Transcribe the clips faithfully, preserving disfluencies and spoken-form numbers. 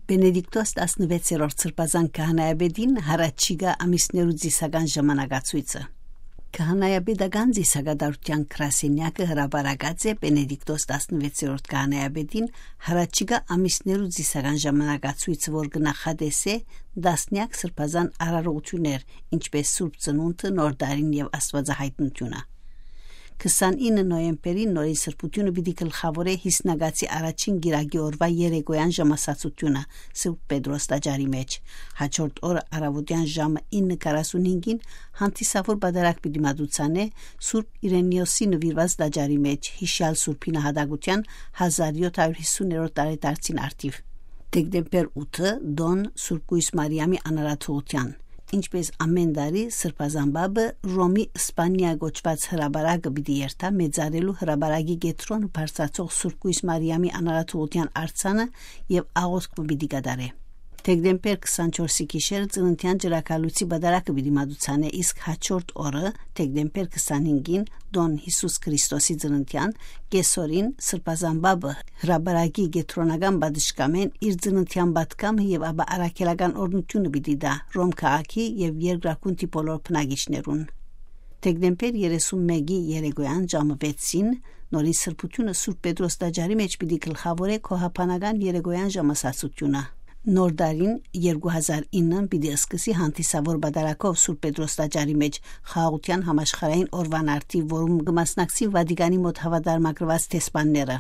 Պենեդիկտոս տասնվեցերորդ սրբազան քահանայապետին յառաջիկայ ամիսներու ծիսական ժամանակացոյցը։ Քահանայապետական ծիսակատարութեան գրասենեակը հրապարակած է Պենեդիկտոս տասնվեցերորդ քահանայապետին յառաջիկայ ամիսներու ծիսական ժամանակացոյցը, որ կը նախատեսէ տասնեակ սրբազան արարողութիւններ, ինչպէս Սուրբ Ծնունդը, Նոր Տարին եւ Աստուածահայտնութիւնը։ Քսանինը նոյեմբերին նորին սրբութիւնը պիտի գլխաւորէ Հիսնակացի առաջին կիրակի օրուայ երեկոյեան ժամասացութիւնը Սուրբ Պետրոս տաճարի մէջ։ Հաջորդ օրը առաւօտեան ժամը ինը քառասունհինգին հանդիսաւոր պատարագ պիտի մատուցանէ Սուրբ Իրենիոսի նուիրուած տաճարի մէջ՝ յիշեալ Սուրբի նահատակութեան հազար յոթ հարիւր յիսուներորդ տարեդարձին առթիւ։ Դեկտեմբեր ութը՝ տօն Սուրբ Կոյս Մարիամի անարարթողութեան։ Ինչպէս ամէն տարի, Սրբազան Պապը Ռոմի Սպանիա կոչուած հրապարակը պիտի երթայ մեծարելու հրապարակի կեդրոնը բարձրացող Սուրբ Կոյս Մարիամի անարարթողութեան արձանը եւ աղօթք մը պիտի կատարէ։ Դեկտեմբեր քսանչորսի գիշերը ծննդեան ճրագալույցի պատարագը պիտի մատուցանէ, իսկ հաջորդ օրը, դեկտեմբեր քսանհինգին, տօն Յիսուս Քրիստոսի ծննդեան, կեսօրին, Սրբազան Պապը հրապարակի կեդրոնական պատշգամբէն իր ծննդեան պատգամը եւ ապա առաքելական օրհնութիւնը պիտի տայ Ռոմ քաղաքի եւ երկրագունդի բոլոր բնակիչներուն։ Դեկտեմբեր երեսունմէկի երեկոյեան ժամը վեցին նորին սրբութիւնը Սուրբ Պետրոս տաճարի մէջ պիտի գլխաւորէ քոհաբանական երեկոյեան ժամասացութիւնը։ Նոր տարին երկու հազար ինը պիտի սկսի հանդիսաւոր պատարագով Սուրբ Պետրոս տաճարի մէջ խաղաղութեան համաշխարհային օրուան առթիւ, որուն կը մասնակցին Վատիկանի մօտ հաւատարմագրուած դեսպանները։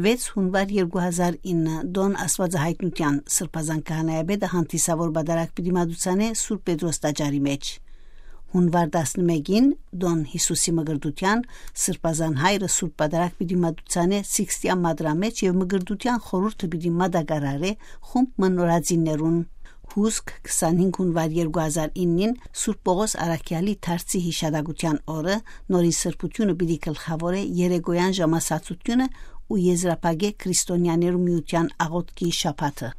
Վեց յունուար երկու հազար ինը, տօն Աստուածահայտնութեան, Սրբազան քահանայապետը հանդիսաւոր պատարագ պիտի մատուցանէ Սուրբ Պետրոս տաճարի մէջ։ Յունուար տասնմէկին, տօն Յիսուսի Մկրտութեան, Սրբազան Հայրը Սուրբ Պատարագ պիտի մատուցանէ Սիքսթիա մատրամէջ եւ Մկրտութեան խորհուրդը պիտի մատակարարէ խումբ մը նորածիններուն։ Հուսկ քսանհինգ յունուար երկու հազար իննին, Սուրբ Պողոս Առաքեալի դարձի յիշատակութեան օրը, նորին սրբութիւնը պիտի գլխաւորէ երեկոյեան ժամասացութիւնը ու եզրափակէ քրիստոնեաներու միութեան աղօթքի շաբաթը։